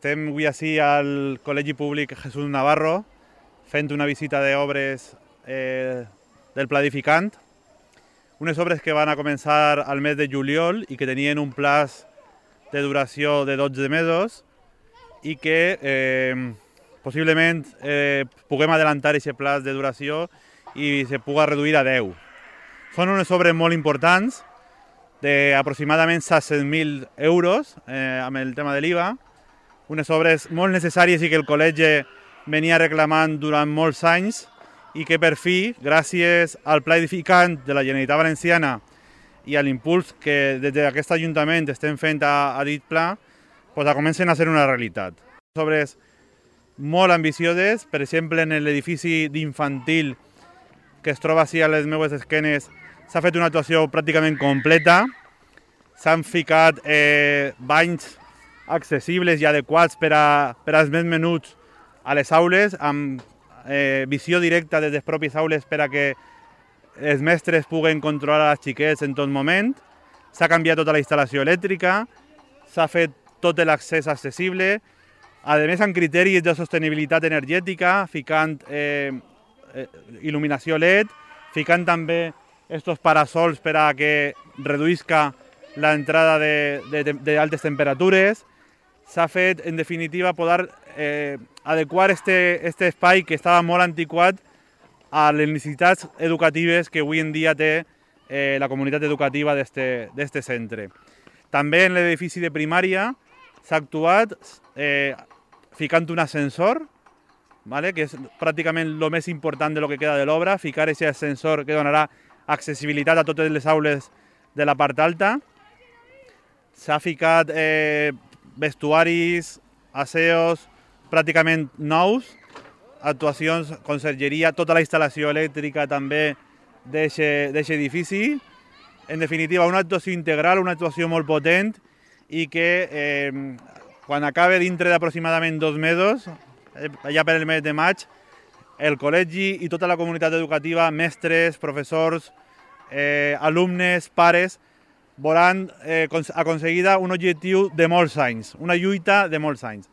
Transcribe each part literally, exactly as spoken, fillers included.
Estem avui ací al Col·legi Públic Jesús Navarro fent una visita d'obres eh, del Pla Edificant, unes obres que van a començar al mes de juliol i que tenien un plaç de duració de dotze mesos i que eh, possiblement eh, puguem adelantar aquest plaç de duració i se puga reduir a deu. Són unes obres molt importants, d'aproximadament set-cents mil euros eh, amb el tema de l'I V A, unes obres molt necessàries i que el col·legi venia reclamant durant molts anys i que per fi, gràcies al Pla Edificant de la Generalitat Valenciana i a l'impuls que des d'aquest Ajuntament estem fent a, a dit pla, pues, comencen a ser una realitat. Obres molt ambicioses, per exemple, en l'edifici d'infantil que es troba així a les meves esquenes, s'ha fet una actuació pràcticament completa, s'han ficat eh, banys accessibles i adequats per, a, per als més menuts a les aules, amb eh, visió directa des de les pròpies aules per a que els mestres puguen controlar els xiquets en tot moment. S'ha canviat tota la instal·lació elèctrica, s'ha fet tot l'accés accessible, a més amb criteris de sostenibilitat energètica, ficant eh, il·luminació L E D, ficant també estos parasols per a que reduïsca l'entrada d'altes temperatures. S'ha fet, en definitiva, poder eh, adequar este, este espai que estava molt antiquat a les necessitats educatives que avui en dia té eh, la comunitat educativa d'aquest centre. També en l'edifici de primària s'ha actuat eh, ficant un ascensor, vale? Que és pràcticament el més important de lo que queda de l'obra, ficar aquest ascensor que donarà accessibilitat a totes les aules de la part alta. S'ha ficat eh, vestuaris, aseos pràcticament nous, actuacions, consergeria, tota la instal·lació elèctrica també d'aquest edifici. En definitiva, una actuació integral, una actuació molt potent i que eh, quan acabe dintre d'aproximadament dos mesos, ja per el mes de maig, el col·legi i tota la comunitat educativa, mestres, professors, eh, alumnes, pares, veuran eh, aconseguida un objectiu de molts anys, una lluita de molts anys.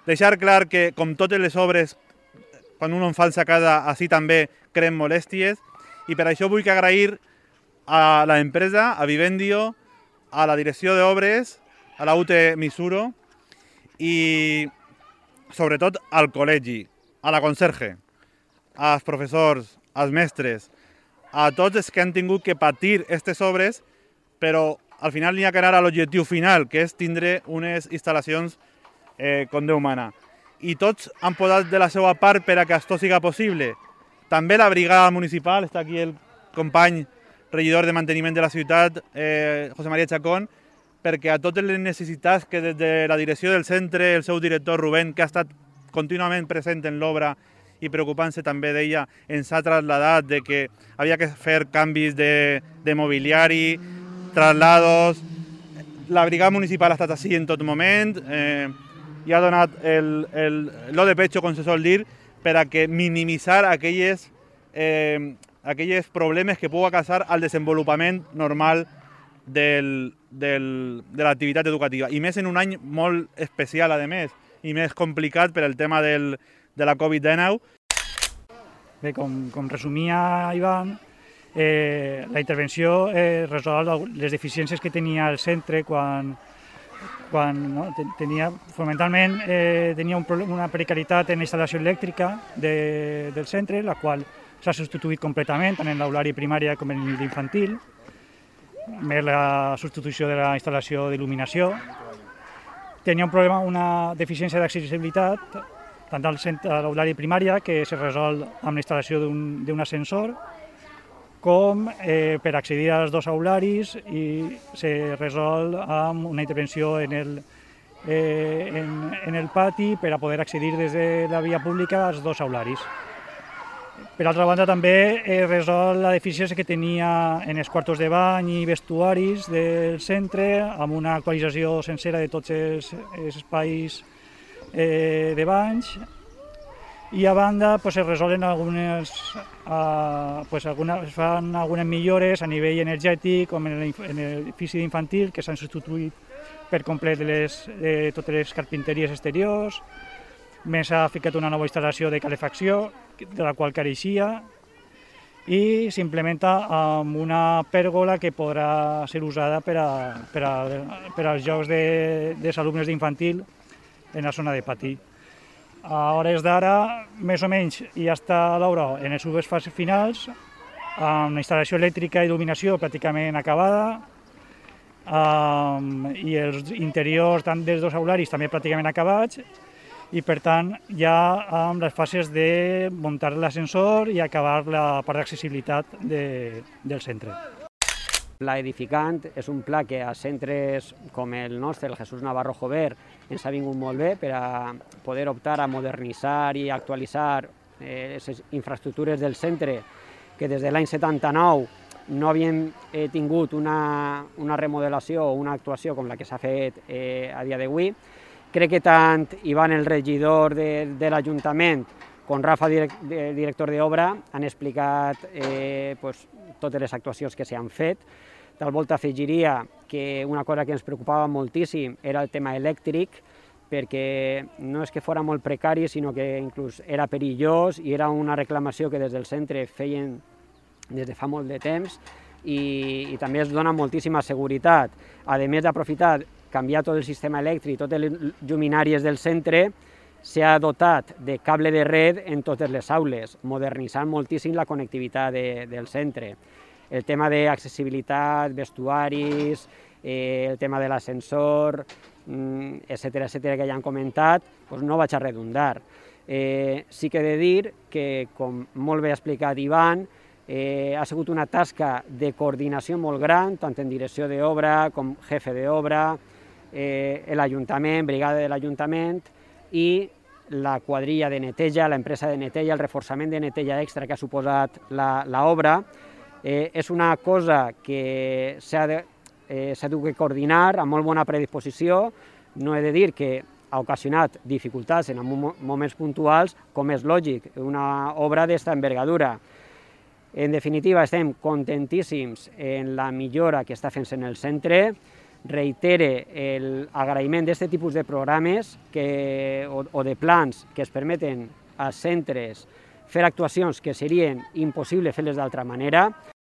Deixar clar que, com totes les obres, quan un en fa a casa, així també creen molèsties, i per això vull agrair a l'empresa, a Vivendio, a la direcció d'obres, a la U T Misuro i sobretot al col·legi, a la conserge, als professors, als mestres, a tots els que han tingut que patir aquestes obres, però al final n'hi ha que anar a l'objectiu final, que és tindre unes instal·lacions eh, com Déu mana. I tots han posat de la seva part per a que això siga possible. També la brigada municipal, està aquí el company regidor de manteniment de la ciutat, eh, José María Chacón, perquè a totes les necessitats que des de la direcció del centre, el seu director Rubén, que ha estat contínuament present en l'obra i preocupant-se també d'ella, ens ha trasladat de que havia que fer canvis de, de mobiliari, traslados. La brigada municipal ha estat així en tot moment eh, i ha donat el, el, lo de pecho, com se sol dir, per a que minimitzar aquelles, eh, aquelles problemes que pugui causar al desenvolupament normal del, del, de l'activitat educativa. I més en un any molt especial, a més, i més complicat per el tema del, de la Covid dinou. Bé, com, com resumia Ivan, eh, la intervenció eh, resol les deficiències que tenia el centre quan, quan no, tenia, fonamentalment eh, tenia un, una precarietat en la instal·lació elèctrica de, del centre, la qual s'ha substituït completament tant en l'aulari primària com en l'infantil, més la substitució de la instal·lació d'il·luminació. Tenia un problema, una deficiència d'accessibilitat, tant a l'aulari primària, que se resol amb la instal·lació d'un ascensor, com eh, per accedir als dos aularis i se resol amb una intervenció en el, eh, en, en el pati per a poder accedir des de la via pública als dos aularis. Per altra banda, també eh, resol la deficiència que tenia en els quartos de bany i vestuaris del centre, amb una actualització sencera de tots els, els espais eh, de banys. I a banda pues, es resolen algunes, uh, pues, algunes, es fan algunes millores a nivell energètic, com en l'edifici infantil, que s'han substituït per complet les, eh, totes les carpinteries exteriors, més ha ficat una nova instal·lació de calefacció, de la qual careixia, i s'implementa amb una pèrgola que podrà ser usada per, a, per, a, per als jocs de, dels alumnes d'infantil en la zona de pati. A hores d'ara, més o menys, ja està l'obra en les seves fases finals, amb la instal·lació elèctrica i il·luminació pràcticament acabada, um, i els interiors tant dels dos aularis també pràcticament acabats, i per tant ja amb les fases de muntar l'ascensor i acabar la part d'accessibilitat de, del centre. El pla edificant és un pla que a centres com el nostre, el Jesús Navarro Jover, ens ha vingut molt bé per a poder optar a modernitzar i actualitzar les eh, infraestructures del centre que des de l'any setanta-nou no havien eh, tingut una, una remodelació o una actuació com la que s'ha fet eh, a dia d'avui. Crec que tant Ivan, el regidor de, de l'Ajuntament, com Rafa, direct, de, director d'obra, han explicat eh, pues, totes les actuacions que s'han fet. Tal volta afegiria que una cosa que ens preocupava moltíssim era el tema elèctric, perquè no és que fos molt precari, sinó que inclús era perillós i era una reclamació que des del centre feien des de fa molt de temps i, i també es dona moltíssima seguretat. A més d'aprofitar, canviar tot el sistema elèctric, totes les lluminàries del centre, s'ha dotat de cable de red en totes les aules, modernitzant moltíssim la connectivitat de, del centre. El tema d'accessibilitat, vestuaris, eh, el tema de l'ascensor, etcètera, etcètera, que ja han comentat, doncs no vaig a redundar. Eh, sí que he de dir que, com molt bé ha explicat Ivan, eh, ha sigut una tasca de coordinació molt gran, tant en direcció d'obra com jefe d'obra, eh, l'Ajuntament, brigada de l'Ajuntament i la quadrilla de neteja, l'empresa de neteja, el reforçament de neteja extra que ha suposat l'obra. Eh, és una cosa que s'ha de, eh, s'ha de coordinar amb molt bona predisposició. No he de dir que ha ocasionat dificultats en moments puntuals, com és lògic, una obra d'esta envergadura. En definitiva, estem contentíssims en la millora que està fent en el centre. Reitere l'agraïment d'aquest tipus de programes que, o, o de plans que es permeten als centres fer actuacions que serien impossibles fer-les d'altra manera.